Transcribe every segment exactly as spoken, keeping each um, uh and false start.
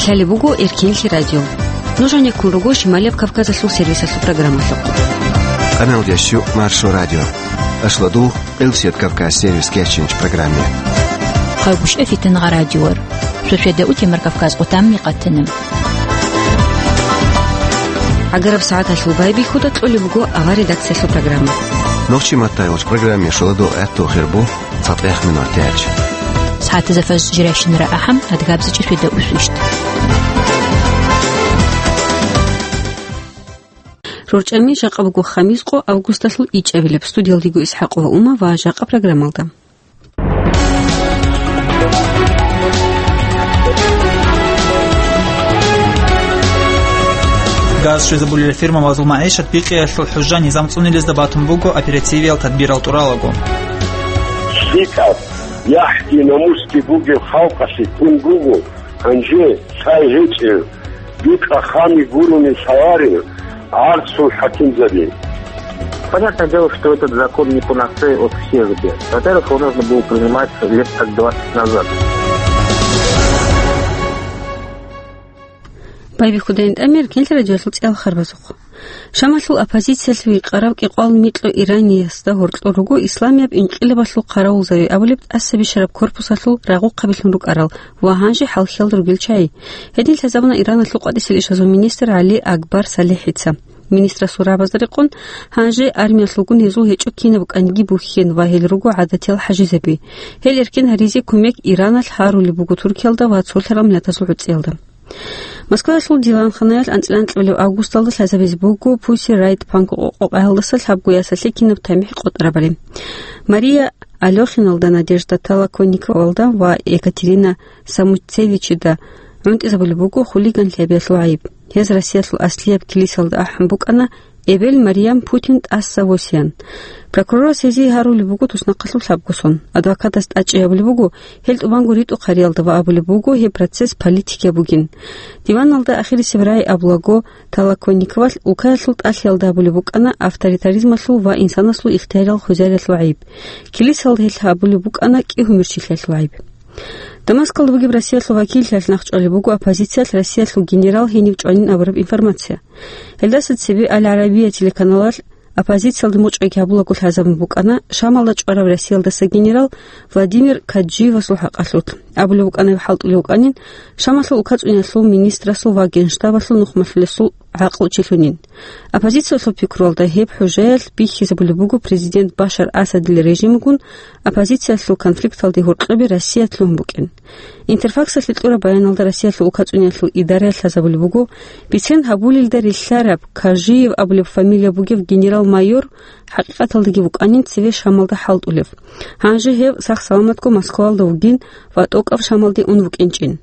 Лъалеб буго Эркенлъи радио. Нуж гьанеккун руго Шималияб Кавказалъул сервисалъул программалъухъ. Къаналдеш щу Маршо радио. Ашладу Къилсият Кавказ сервис кечинч программе. Хъагушев Фитнагъа радиор. Сосиада утемар Кавказ къутамни къатана. Агараб сагӀаталъул байбихьуда кьолеб буго авар редакциялъул программа. Нохчи маттайгъоч программе шоладо гӀатту хирбу. ЦатӀех минут тяч. СагӀатазда фаз жиращинара ахӀам, адгабзачӀи светда усвищт. РорчӀами жакъа буго хамис къо августалъул ичӀабилеб. Студиялдиго ИсхӀакъова Ума ва жакъа программалда. Газ щвезабулел фирма Вазул МагӀишат бикъиялъул хӀужа низам цӀунилезда батун буго оперативиял тадбирал тӀуралаго. ЛъикӀаб, яхӀги намусги бугеб халкъалъе ккун буго, гьанже цай гьечӀев, бикъа хами гурони лъаларел гӀарцул хӀакимзаби. Понятное дело, что этот закон не панацея от всех бед. Во-первых, его нужно было принимать лет так двадцать назад. Байбихьудайин тӀамир, Эркенлъи радиоялъул цӀеял харбазухъ. Шамалъул оппозициялъ вихъарав кӀикъвал микьу Ираниялда гьоркьор руго исламияб инкъилабалъул хъаравулзаби абулеб тӀасабищараб корпусалъул рагъухъабилъун рукӀарал ва гьанже хӀалхьиялда ругел чагӀи. Гьедин лъазабуна Ираналъул къватӀисел ишазул министр ГӀали Акбар СалихӀица. Министрасул рагӀабазда рекъон, гьанже армиялъулгун гьезул гьечӀо кинаб кӀанги бухьен ва гьел руго гӀадатиял хӀажизаби. Гьел эркин гьаризе кумек Ираналъ гьарулеб буго Туркиялда ва цолъарал миллатазул гӀуцӀиялда. Москваялъул диванханаялъ анцӀила анкьабилеб августалда лъазабизе буго Pussy Riot панк къокъаялдаса лъабго ясалъе кинаб тамихӀ къотӀарабали. Мария Алёхиналда, Надежда Толоконниковалда ва Екатерина Самуцевичида гӀунтӀизабулеб буго хулиганлъиялъул гӀайиб. Гьез Россиялъул аслияб килисалда ахӀун букӀана, эбел Марьям Путин тӀаса восиян. Прокурорас гьезие гьарулеб буго туснахъалъуб лъабго сон. Адвокатас тӀадчӀей абулеб буго, гьел тӀубанго ритӀухъ гьариялда ва абулеб буго, гьеб процесс политикияб бугин. Диваналда ахирисеб рагӀи абулаго, Толоконниковалъ улкаялъул тӀалъиялда абулеб букӀана авторитаризмалъул ва инсанасул ихтиярал хвезариялъул гӀайиб. Килисалда гьелъ абулеб букӀана кӀигьумирчилъиялъул гӀайиб. Дамаскалда бугеб Россиялъул вакиллъиялъ нахъчӀвалеб буго оппозициялъ Россиялъул генерал гьенив чӀванин абураб информация. Гьелдаса цебе Аль-Арабия телеканалалъ оппозициялда мочӀиги гьабулаго лъазабун букӀана Шамалда чӀварав Россиялдаса генерал Владимир Каджиевасул хӀакъалъулъ. Абулеб букӀана гьеб хӀалтӀулев вукӀанин Шамалъул улкацӀуниялъул министрасул ва генштабалъул нухмалъулесул гӀакълучилъунин. Оппозициялъул пикруялда гьеб хӀужаялъ бихьизабулеб буго президент Башар Асадил режимгун оппозициялъул конфликталде гьоркьобе Россия лъугьун букӀин. Интерфаксалъе кьураб баяналда Россиялъул улкацӀуниялъул идараялъ лъазабулеб буго, бицен гьабулелда рилълъараб Кажиев абулеб фамилия бугев генерал-майор хӀакъикъаталдаги вукӀанин цеве Шамалда хӀалтӀулев. Гьанже гьев сах-саламатго Москвалда вугин ва тӀокӀаб Шамалде ун вукӀинчӀин.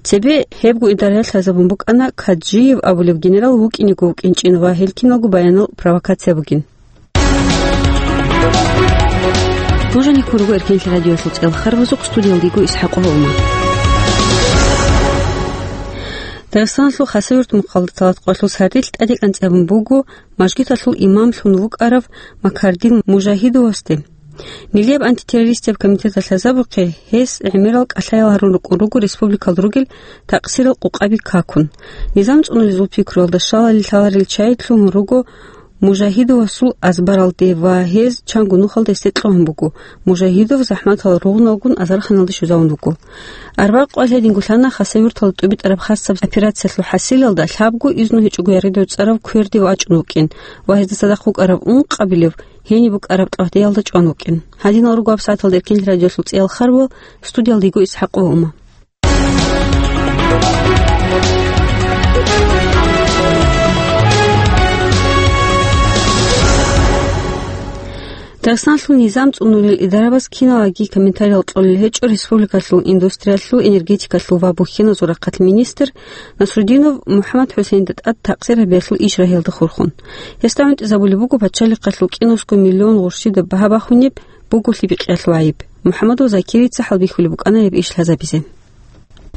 Цебе гьебго идараялъ лъазабун букӀана Каджиев абулев генерал вукӀинего вукӀинчӀин ва гьел киналго баянал провокация бугин. Нуж гьанеккун руго Эркенлъи радиоялъул цӀеял харбазухъ, студиялдиго ИсхӀакъова Ума. Дагъистаналъул Хасавюрт мухъалда талат къоялъул сардилъ тӀаде кӀанцӀабун буго мажгиталъул имамлъун вукӀарав Макардин Мужагьидовасде. Нилияб антитеррористияб комитеталъ лъазабухъе, гьес гӀемерал кӀалъаял гьарун рукӀун руго республикалда ругел такъсирал къукъаби какун. Низам цӀунулезул пикруялда щалали лъаларел чагӀи лъугьун руго Мужагьидовасул азбаралде ва гьез чанго нухалда гьесде кьогьун буго. Мужагьидов захӀматал ругъуналгун азарханалде щвезавун вуго. Арбагъ къоялъ гьединго лъана Хасавюрталда тӀубитӀараб хасаб операциялъул хӀасилалда лъабго изну гьечӀого яридав цӀарав кверде вачӀун вукӀин ва гьезда цадахъ вукӀараб ункъабилев гьениб букӀараб тӀагьдеялда чӀван вукӀин. Гьадинал руго гьаб сагӀаталда Эркенлъи радиоялъул цӀеял харбал, студиялдиго ИсхӀакъова Ума. Дагъистанлъул низам цӀунулел идарабаз киналаги комментариял кьолел гьечӀо республикалъул индустриялъул, энергетикалъул ва бухьеназул рахъалъ министр Насрудинов МухӀаммад ХӀусейнда тӀад такъсир гьабиялъул иш рагьиялда хурхун. Гьесда гӀунтӀизабулеб буго пачалихъалъул кӀинусго миллион гъурщида багьа бахунеб буголъи бикъиялъул гӀайиб. МухӀаммадов Закирица хӀалбихьулеб букӀана гьеб иш лъазабизе.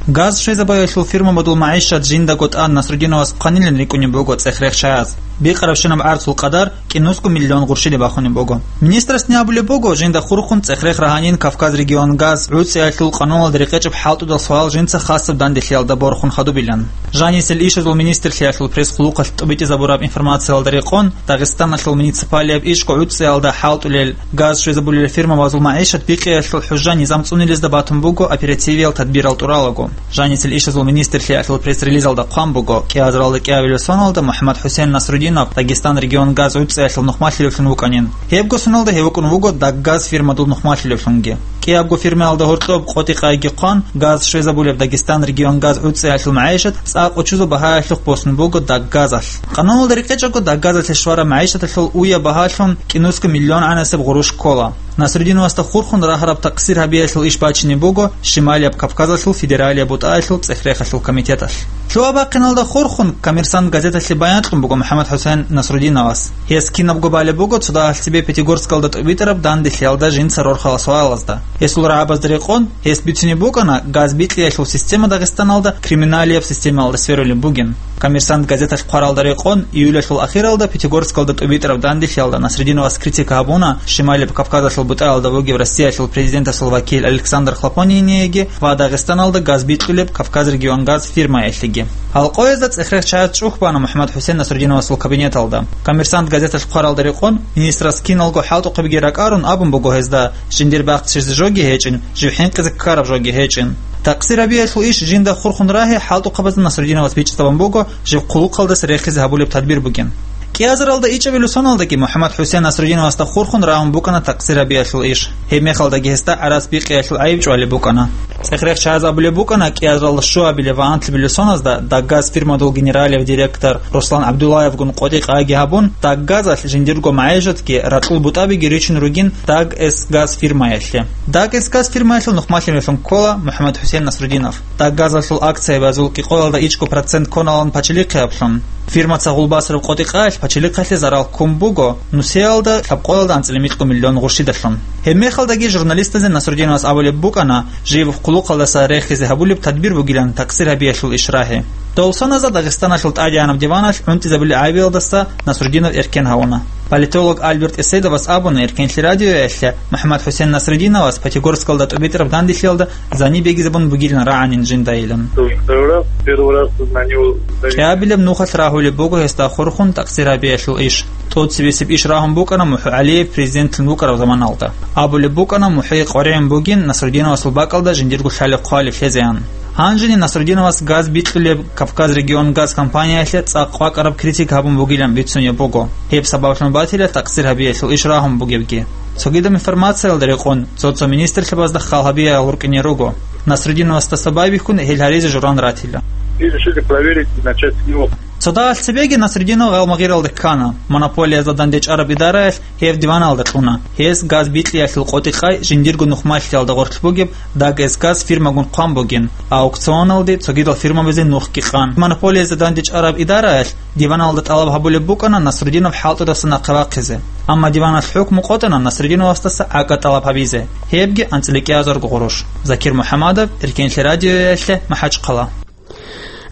Газ щвезабаялъул фирмабазул магӀишат жиндаго тӀад Насрудиновас хъванилан рикӀкӀунеб буго цӀех-рех чагӀаз. Бикъарабщинаб гӀарцул къадар кӀинусго миллион гъурщиде бахунеб буго. Министрасни абулеб буго, жинда хурхун цӀех-рех рагьанин Кавказ регион газ гӀуцӀиялъул къануналда рекъечӀеб хӀалтӀудал суал жинца хасаб данделъиялда борхун хадубилан. Жанисел ишазул министрлъиялъул пресс-хъулухъалъ тӀубитӀизабураб информациялда рекъон, Дагъистаналъул муниципалияб ишго гӀуцӀиялда хӀалтӀулел газ щвезабулел фирмабазул магӀишат бикъиялъул хӀужа-низам цӀунилезда батун буго оперативиял тадбирал тӀуралаго. Жанисел ишазул министрлъиялъул пресс-релизалда хъван буго, кӀиазаралда кӀиабилеб соналда МухӀаммад-ХӀусен Насрудинов Дагъистан регион газ гӀуцӀиялъул нухмалъилевлъун вукӀанин. Гьебго соналда гьев вукӀун вуго Даггаз фирмадул нухмалъилевлъунги. КӀиябго фирмаялда гьоркьоб къотӀи-къайги хъван, газ щвезабулеб Дагъистан регион газ гӀуцӀиялъул магӀишат цӀакъ учузаб багьаялъухъ босун буго Даггазалъ. Къануналда рекъечӀого Даггазалъе щвараб магӀишаталъул уяб багьалъун кӀинусго миллион гӀанасеб гъурущ ккола. Насрудиновасда хурхун рагьараб такъсир гьабиялъул иш бачине буго Шималияб Кавказалъул федералияб бутӀаялъул цӀех-рехалъул комитеталъ. Лъугьа-бахъиналда хурхун «Коммерсант» газеталъе баян кьун буго МухӀаммад-ХӀусен Насрудиновас. Гьес кинабго балеб буго цо дагьалъ цебе Пятигорскалда тӀубитӀараб данделъиялда жинца рорхарал суалазда. Гьесул рагӀабазда рекъон, гьес бицунеб букӀана, газ бикьиялъул система Дагъистаналда криминалияб системаялда сверулеб бугин. «Коммерсант» газеталъ хъваралда рекъон, июлалъул ахиралда Пятигорскалда тӀубитӀараб данделъиялда Насрудиновас критика гьабуна Шималияб Кавказалъул бутӀаялда вугев Россиялъул президентасул вакил Александр Хлопониниеги ва Дагъистаналда газ бикьулеб «Кавказ регион газ» фирмаялъеги. Гьал къоязда цӀех-рех чагӀаз чӀухь бана МухӀаммад-ХӀусен Насрудиновасул кабинеталда. «Коммерсант» газеталъ хъваралда рекъон, министрас киналго хӀалтӀухъебги ракӀарун абун буго гьезда, жиндир бахчизе жоги гьечӀин, жив хӀинкъизе ккараб жоги гьечӀин. Такъсир гьабиялъул иш жинда хурхун рагьи хӀалтӀухъабазда Насрудиновас бичӀчӀизабун буго, жив хъулухъалдаса рехизе гьабулеб тадбир бугин. КӀиазаралда ичӀабилеб соналдаги МухӀаммад-ХӀусен Насрудиновасда хурхун рагьун букӀана такъсир гьабиялъул иш. Гьеб мехалдаги гьесда гӀарац бикъиялъул гӀайиб чӀвалеб букӀана. ЦӀех-рех чагӀаз абулеб букӀана, кӀиазаралда щуабилеб ва анлъабилеб соназда Даггаз фирмадул генералияб директор Руслан ГӀабдуллаевгун къотӀи-къайги гьабун, Даггазалъ жиндирго магӀишатги ракьул бутӀабиги ричун ругин Даггаз фирмаялъе. Даггаз фирмаялъул нухмалъилевлъун ккола МухӀаммад-ХӀусен Насрудинов. Даггазалъул акциябазул кӀикъоялда ичӀго процент кконалан пачалихъе аблъун. Фирмаца гъулбасараб къотӀи-къайалъ пачалихъалъе зарал ккун буго нусиялда лъабкъоялда анцӀила микьго миллион гъурщидалъун. Гьеб мехалдаги журналистазе Насрудиновас абулеб букӀана, жив хъулухъалдаса рехизе гьабулеб тадбир бугилан такъсир гьабиялъул иш рагьи. Дов соназда Дагъистаналъул тӀадегӀанаб диваналъ гӀунтӀизабулел гӀайибалдаса Насрудинов эркен гьавуна. Политолог Альберт Эседовас абуна Эркенлъи радиоялъе, МухӀаммад-ХӀусен Насрудиновас Пятигорскалда тӀубитӀараб данделъиялда зани бегизабун бугилан рагӀанин жиндайилан. Первый раз, первый раз на него. КӀиабилеб нухалъ рагьулеб буго гьесда хурхун такъсир гьабиялъул иш. ТӀоцебесеб иш рагьун букӀана МухӀу ГӀалиев президентлъун вукӀараб заманалда. Абулеб букӀана, МухӀи къваригӀун бугин Насрудиновасул бакӀалда жиндирго лъалеб-хъвалеб лъезеян. Гьанжеги Насрудиновас газ бикьулеб Кавказ регион газ компаниялъе цӀакъ кӀвакӀараб критика гьабун бугилан бицунеб буго, гьеб сабаблъун батила такъсир гьабиялъул иш рагьун бугебги. Цогидаб информациялда рекъон, цо-цо министрлъабазда хал гьабиялъ гьоркьине руго. Насрудиновасдаса байбихьун гьел гьаризе журан ратила. И решили проверить и начать с него. Цо дагьалъ цебеги Насрудинов гъалмагъиралде ккана, монополиязда дандечӀараб идараялъ гьев диваналда кьуна. Гьес газ бикьиялъул къотӀи-къай жиндирго нухмалъиялда гъорлъ бугеб Даггаз фирмагун хъван бугин, аукционалде цогидал фирмабазе нухги къан. Монополиязда дандечӀараб идараялъ диваналда тӀалаб гьабулеб букӀана Насрудинов хӀалтӀудаса нахъе вахъизе. Амма диваналъ хӀукму къотӀана Насрудиновасдаса гӀакӀа тӀалаб гьабизе, гьебги анцӀила кӀиазарго гъурущ. Закир МухӀаммадов, Эркенлъи радиоялъе, МахӀачхъала.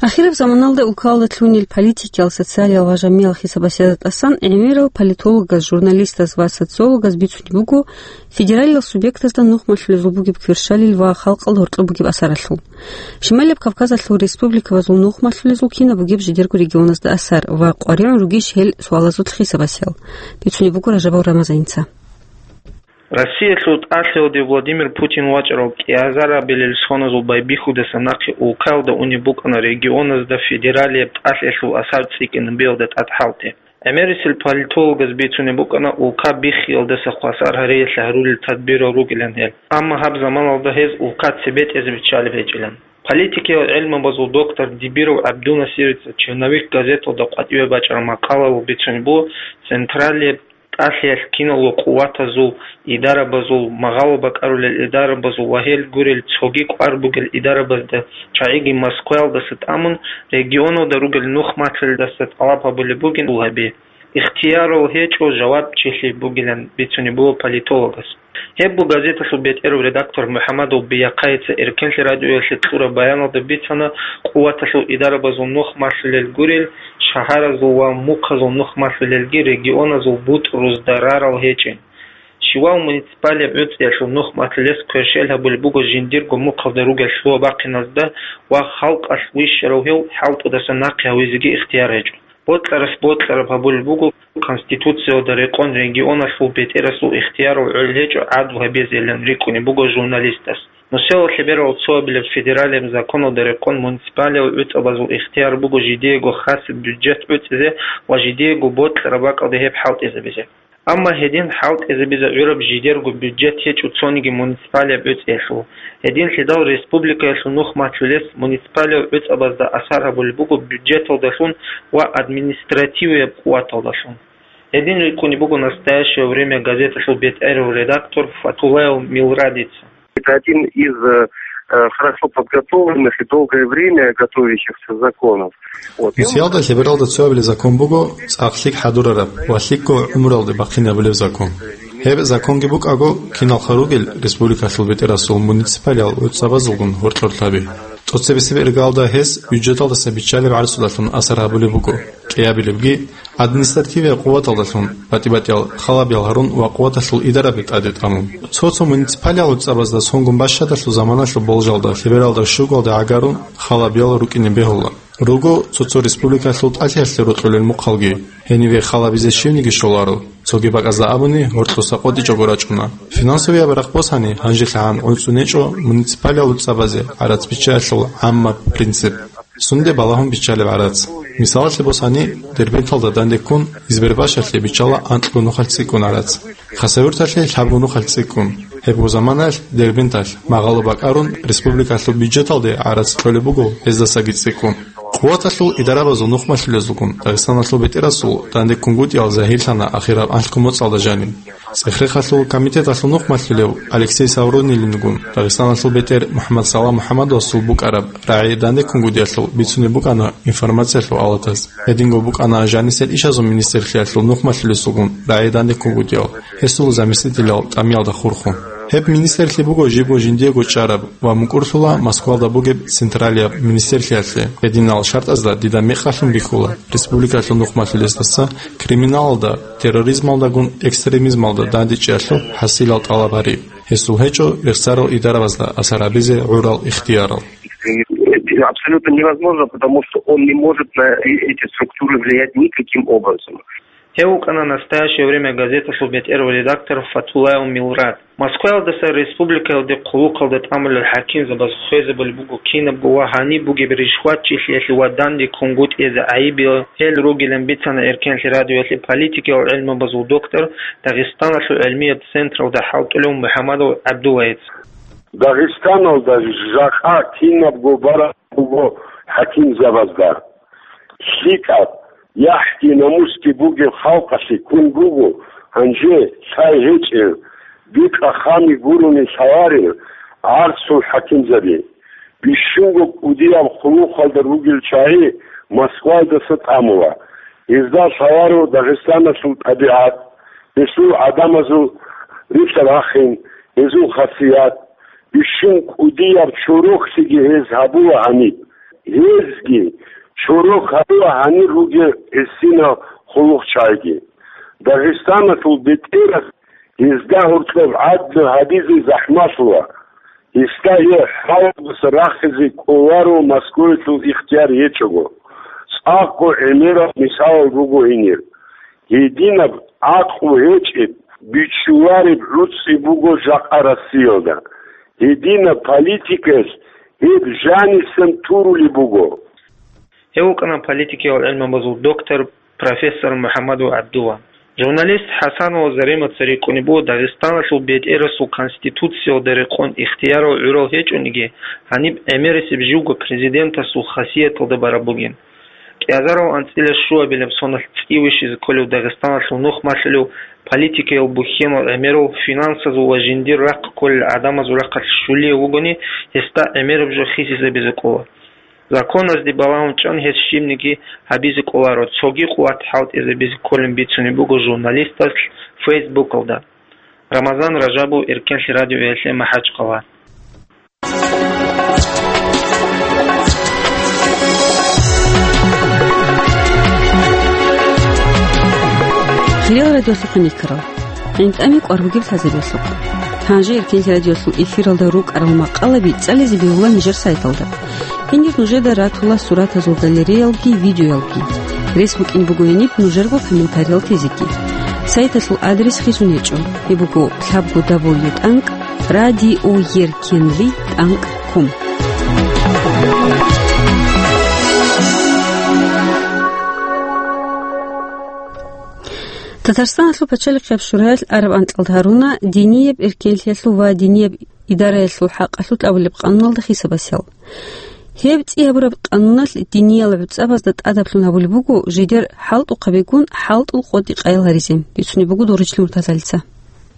Ахираб заманалда улкалда лъунил политикиял, социалиял ва жамиял хисабасиязда тӀасан гӀемерал политологаз, журналистаз ва социологаз бицунеб буго федералиял субъектазда нухмалъулезул бугеб кверщалил ва халкъалда гьоркьоб бугеб асаралъул. Шималияб Кавказалъул республикабазул нухмалъулезул кинаб бугеб жидерго регионазда асар ва къваригӀун ругищ гьел суалазул хисабасиял? Бицунеб буго Ражабов Рамазаница. Россиялъул тӀалъиялде Владимир Путин вачӀарал кӀиазарабилел соназул байбихьудаса нахъе улкаялда унеб букӀана регионазда федералияб тӀалъиялъул асар цӀикӀкӀинабиялда тӀад хӀалтӀи. ГӀемерисел политологаз бицунеб букӀана улка биххиялдаса хвасар гьариялъе гьарулел тадбирал ругилан гьел, амма гьаб заманалда гьез улка цебетӀезе биччалеб гьечӀилан. Политикиял гӀелмабазул доктор Дибиров ГӀабдунасирица «Черновик» газеталда къватӀиве бачӀараб макъалаялъ бицунеб буго, централияб тӀалъиялъ киналго къуватазул, идарабазул, магъало бакӀарулел идарабазул ва гьел гурел цоги кӀвар бугел идарабазда, чагӀиги Москваялдаса тӀамун, регионалда ругел нухмалъилдаса тӀалаб гьабулеб бугин гьел гьаби. Ихтиярал гьечӀо жавабчилъи бугилан бицунеб буго политологас. Гьеб буго газеталъул бетӀерав редактор МухӀаммадов Бияхъайица Эркенлъи радиоялъе кьураб баяналда бицана, къуваталъул идарабазул нух малъулел гурел шагьаразул ва мухъазул нух малъулелги регионазул бутӀрузда рарал гьечӀин. Щивав муниципалияб гӀуцӀиялъул нух малъулес кверщел гьабулеб буго жиндирго мухъалда ругел лъугьа-бахъиназда ва халкъалъ вищарав гьев хӀалтӀудаса нахъе гьавизеги ихтияр гьечӀо. Бокьаралъ бокьараб гьабулеб буго, Конституциялда рекъон регионалъул бетӀерасул ихтиярал гӀол гьечӀо гӀадлу гьабизейилан рикӀкӀунеб буго журналистас. Нусиялда лъеберал цоабилеб федералияб законалда рекъон муниципалиял гӀуцӀабазул ихтияр буго жидеего хасаб бюджет гӀуцӀизе ва жидеего бокьараб бакӀалде гьеб хӀалтӀизабизе. Амма гьедин хӀалтӀизабизе гӀураб жидерго бюджет гьечӀо цониги муниципалияб гӀуцӀиялъул. Гьединлъидал республикаялъул нух малъулес муниципалиял гӀуцӀабазда асар гьабулеб буго бюджеталдалъун ва административияб къуваталдалъун. Гьедин рикӀкӀунеб буго «Настоящее время» газеталъул бетӀерав редактор Фатулаев Милрадица. Это один из э, э, хорошо подготовленных и долгое время готовящихся законов. Вот. И он Нусиялда лъебералда цоабилеб закон буго цӀакъ лъикӀ хӀадурараб ва лъикӀго гӀумруялде бахъинабулеб закон. Гьеб законги букӀаго, киналха ругел республикалъул бетӀерасул муниципалиял гӀуцӀабазулгун гьоркьор лъаби. ТӀоцебесеб иргаялда гьес бюджеталдаса биччалеб гӀарцудалъун асар гьабулеб буго, кӀиабилебги административияб къуваталдалъун, батӀи-батӀиял халабиял гьарун ва къуваталъул идараби тӀаде тӀамун. Цо-цо муниципалиял гӀуцӀабазда сонгун бащадалъул заманалъул болжалда лъебералда щугоялда гӀагарун халабиял рукӀине бегьула. Руго цо-цо республикалъул тӀалъиялъе рокьулел мухъалги, гьениве халабизе щивниги щоларо, цоги бакӀазда абуни, гьоркьоса къотӀичӀого рачӀуна. Финансовияб рахъ босани, гьанжелъагӀан гӀуцӀунечӀо муниципалиял гӀуцӀабазе гӀарац биччаялъул гӀаммаб принцип. Сунде балагьун биччалеб гӀарац. Мисалалъе босани, Дербенталда дандеккун Избербашалъе биччала анкьго нухалъ цӀикӀкӀун гӀарац. Хасавюрталъе лъабго нухалъ цӀикӀкӀун. Гьебго заманаялъ Дербенталъ, магъало бакӀарун, республикалъул бюджеталде гӀарац кьолеб буго гьездасаги цӀикӀкӀун. Къуваталъул идарабазул нух малъулезулгун Дагъистаналъул бетӀерасул дандеккунгутӀиял загьирлъана ахираб анлъго моцӀалда жаниб. ЦӀехрехалъул комитеталъул нух малъулев Алексей Саврунилингун Дагъистаналъул бетӀер МухӀаммад Салам МухӀаммадовасул букӀараб рагӀи дандеккунгутӀиялъул бицунеб букӀана информациялъул алатаз. Гьединго букӀана жанисел ишазул министрлъиялъул нух малъулесулгун рагӀи дандеккунгутӀиял, гьесул заместителял тӀамиялда хурхун. Гьеб министрлъи буго жибго жиндиего чӀараб ва мукӀурлъула Москвалда бугеб централияб министрлъиялъе. Гьединал шартӀазда дида мекъалъун бихьула республикалъул нух малъулесдаса криминалалда, терроризмалдагун экстремизмалда дандечӀиялъул хӀасилал тӀалаб гьари. Гьесул гьечӀо рехсарал идарабазда асар гьабизе гӀурал ихтиярал. Это абсолютно невозможно, потому что он не может на э- эти структуры влиять никаким образом. Гьев вукӀана «Настоящее время» газеталъул бетӀерав редактор Фатулаев Милрад. Москваялдаса республикаялде хъулухъалда тӀамулел хӀакимзабаз хвезабулеб буго кинабго ва гьаниб бугеб ришватчилъиялъе ва дандеккунгутӀиялъе гӀайибиял гьел ругилан бицана Эркенлъи радиоялъе политикиял гӀелмабазул доктор, Дагъистаналъул гӀелмияб централда хӀалтӀулев МухӀамадов ГӀабдуллаец. Дагъистаналда жакъа кинабго бараб буго хӀакимзабазда. ЛъикӀаб, яхӀги намусги бугеб халкъалъе ккун буго гьанже лъай гьечӀев, бикъа хами гурони лъаларел гӀарцул хӀакимзаби. Бищунго кӀудияб хъулухъалда ругел чагӀи Москваялдаса тӀамула. Гьезда лъаларо Дагъистаналъул тӀабигӀат, гьесул гӀадамазул рилъа-рахин, гьезул хасият, бищун кӀудияб чороклъиги гьез гьабула гьаниб. Гьезги чорок гьабула гьанир ругел гӀисинал хъулухъчагӀиги. Дагъистаналъул бетӀерас гьезда гьоркьоб гӀадлу гьабизе захӀмалъула. Гьесда гьеб хӀалалдаса рахизе кӀоларо Москваялъул ихтияр гьечӀого. ЦӀакъго гӀемерал мисалал руго гьенир. Гьединаб гӀакълу гьечӀеб, бичулареб гӀуцӀи буго жакъа Россиялда. Гьединаб политикаялъ гьеб жанисан турулеб буго. Гьев вукӀана политикиял гӀелмабазул доктор, профессор МухӀаммадов ГӀабдулла. Журналист ХӀасанова Заремаца рикӀкӀунеб буго Дагъистаналъул бетӀерасул Конституциялда рекъон ихтиярал гӀурал гьечӀониги, гьаниб гӀемерисеб живго президентасул хасияталда бараб бугин. КӀиазарал анцӀила щуабилеб соналъ цӀи вищизе кколев Дагъистаналъул нух малъулев политикиял бухьенал гӀемерал финансазул ва жиндир рахъ кколел гӀадамазул рахъалъ щулиев вугони, гьесда гӀемераб жо хисизабизе кӀола. Законазде балагьун чӀун гьес щибниги гьабизе кӀоларо, цоги къуват хӀалтӀизабизе кколин бицунеб буго журналисталъ Фейсбукалда. Рамазан Ражабов, Эркенлъи радиоялъе, МахӀачхъала. Хириял радиолъухъ никарал. ГӀинтӀаме кӀвар бугеб лъазарелъухъ. Гьанже Эркенлъи радиолъул эфиралда рукӀарал макъалаби цӀализе бегьула нижер сайталда. Гьенир нужеда ратула суратазул галереялги, видеоялги. Рес букӀин буго гьениб нужерго комментариял тезеги. Сайталъул адрес хисун гьечӀо. Гьеб буго лъабго дабл ю тӀанкӀ радиоеркенлъи тӀанкӀ ком. Татарстаналъул пачалихъияб шураялъ араб анкьалда гьаруна динияб эркенлъиялъул ва динияб идараялъул хӀакъалъулъ абулеб къануналда хисабасел. Гьеб цӀи гьабураб къануналъ диниял гӀуцӀабазда тӀадаблъун гьабулеб буго жидер хӀалтӀухъабигун хӀалтӀул къотӀи къайил гьаризе, бицунеб буго Доричил Муртазалица.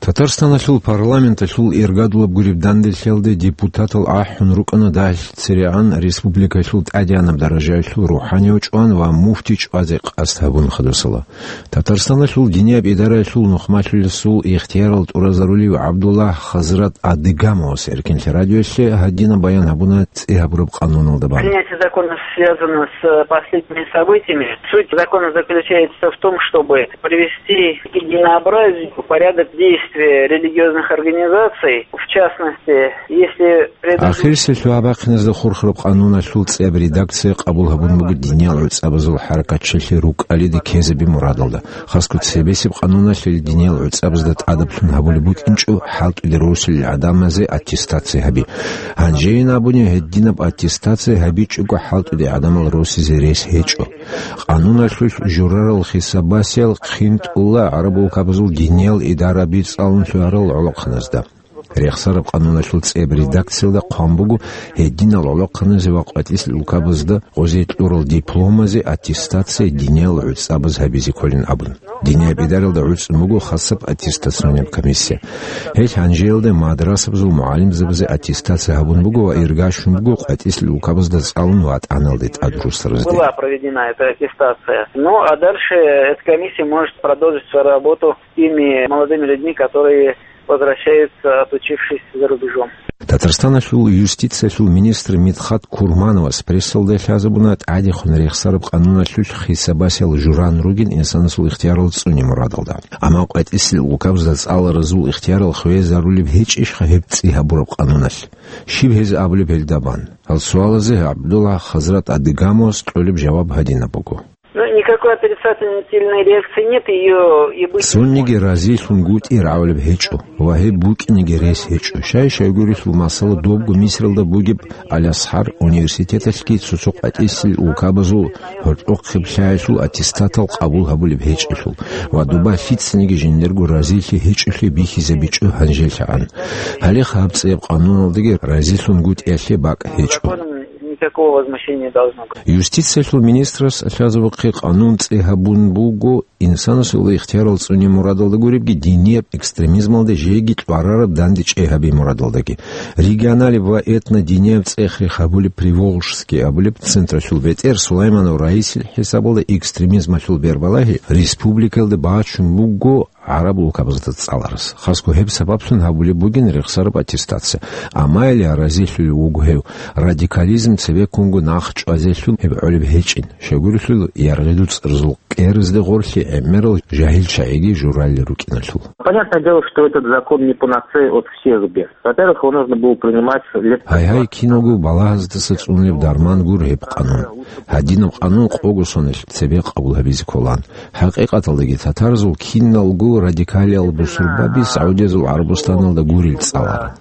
Татарстаналъул парламенталъул иргадулаб гуреб данделъиялде депутатал ахӀун рукӀана дагьлъи церегӀан республикалъул тӀадегӀанаб даражаялъул рухӀанияв чӀван ва муфти чӀвазе къасд гьабун хадусала. Татарстаналъул динияб идараялъул нухмалъулесул ихтиярал тӀуразарулев ГӀабдуллагь Хазрат Адыгамовас Эркенлъи радиоялъе гьадинаб баян гьабуна цӀи гьабураб къануналда бан. Принятие закона связано с последними событиями. Суть закона заключается в том, чтобы привести к единообразию порядок действия религиозных организаций, в частности, если Ахирисеб лъугьа-бахъиназда хурхараб къануналъул цӀияб редакция къабул гьабун буго диниял гӀуцӀабазул хӀаракатчилъи рукӀалиде ккезаби мурадалда. Хасго цебесеб къануналъе диниял гӀуцӀабазда тӀадаблъун гьабулеб букӀинчӀо хӀалтӀуде росулел гӀадамазе аттестация гьаби. Гьанжейин абуни, гьединаб аттестация гьабичӀого хӀалтӀуде гӀадамал росизе рес гьечӀо. Къануналъулъ журарал хисабасел хъинтӀула гӀараб улкабазул диниял идараби цӀалун лъугьарал гӀолохъаназда. Рехсараб къануналъул цӀияб редакциялда хъван буго гьединал гӀолохъаназе ва къватӀисел улкабазда гъозе кьурал дипломазе аттестация диниял гӀуцӀабаз гьабизе кколин абун. Динияб идаралда гӀуцӀун буго хасаб аттестационный комиссия. Гьел гьанжеялда мадрасабазул мугӀалимзабазе аттестация гьабун буго ва иргащун буго къватӀисел улкабазда цӀалун ватӀаналде тӀад русаразде. Была проведена эта аттестация. Ну, а дальше эта комиссия может продолжить свою работу теми молодыми людьми, которые возвращаются, отучившись за рубежом. Татарстаналъул юстициялъул министр Мидхат Курмановас прессалда лъазабуна тӀадехун рехсараб къануналъулъ хисабасел журан ругин инсанасул ихтиярал цӀуне мурадалда. Амма къватӀисел улкабазда цӀаларазул ихтиярал хвезарулеб гьечӀищха гьеб цӀи гьабураб къануналъ? Щиб гьез абулеб гьелда бан? Гьал суалазе ГӀабдулла Хазрат Адыгамовас кьолеб жаваб гьадинаб буго. Ну, никакой отрицательной реакции нет, её и быть не может. Цониги разилъунгутӀи рагӀулеб гьечӀо ва гьеб букӀинеги рес гьечӀо. Щай-щайгурелъул масала добго Мисралда бугеб Аль-Азхар университеталъги цо-цо къватӀисел улкабазул гьоркьохъеб лъаялъул аттестатал къабул гьабулеб гьечӀелъул ва доба лъицаниги жиндирго разилъи гьечӀолъи бихьизабичӀо гьанжелъагӀан. Гьале гьаб цӀияб къануналдаги разилъунгутӀиялъе бакӀ гьечӀо. Никакого возмущения не должно быть. Юстициялъул министрас лъазабухъе къанун цӀи гьабун буго инсанасул ихтиярал цӀуне мурадалда гуребги динияб экстремизмалде жеги кьварараб данде чӀей гьаби мурадалдаги. Регионалеб ва этнодинияб цӀех-рех гьабулеб Приволжский абулеб централъул бетӀер Сулайманов Раисил хӀисабалда экстремизмалъул бербалагьи республикаялда бачун буго гӀараб улкабазда цӀаларас. Хасго гьеб сабаблъун гьабулеб бугин рехсараб аттестация. Амма гьеле разилъулев вуго гьев, радикализм цебеккунго нах чӀвазелъул гьеб гӀолеб гьечӀин, щайгурелъул яргъи дуцӀарзул кӀерзде гъорлъи гӀемерал жагьил чагӀиги журалли рукӀиналъул. Понятное дело, что этот закон не панацея от всех бед. Во-первых, его нужно было принимать лет Гьай-гьай, киналго балагьаздаса цӀунулеб дарман гуро гьеб къанун. Гьадинаб къанун къого сонелъ цебе къабул гьабизе кколан. ХӀакъикъаталдаги татарзул киналго радикалиял бусурбаби Саудиязул ГӀарабустаналда гурел цӀаларан.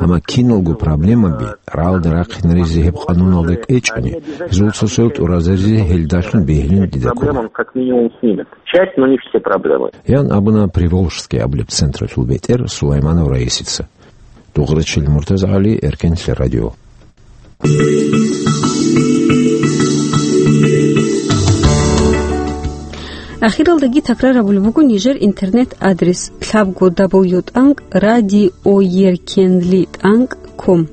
Амма киналго проблемаби рагӀалде рахъинаризе гьеб къануналда кӀвечӀони, гьезул цо-цоял тӀуразаризе гьелдалъун бегьилин дида ккола. Проблемам как минимум снимет. Часть, но не все проблемы. Ян абуна Приволжский абулеб централъул бетӀер Сулайманов Раисица. Дугърачил МуртазагӀали, Эркенлъи радио. Ахиралдаги такрар гьабулеб буго нижер интернет-адрес: лъабго дабл ю тӀанкӀ радиоеркенлъи тӀанкӀ ком.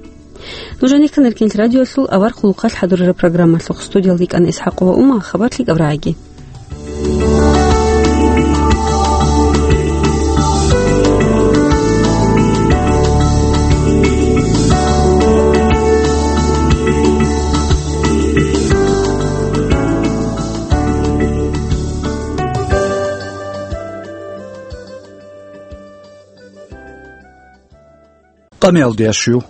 Нуж гьанихъан Эркенлъи радиолъул авар хъулухъалъ хӀадурараб программалъухъ. Студиялда йикӀана ИсхӀакъова Ума. Хабарлъи кӀабрагӀаги. Амиялдиящу.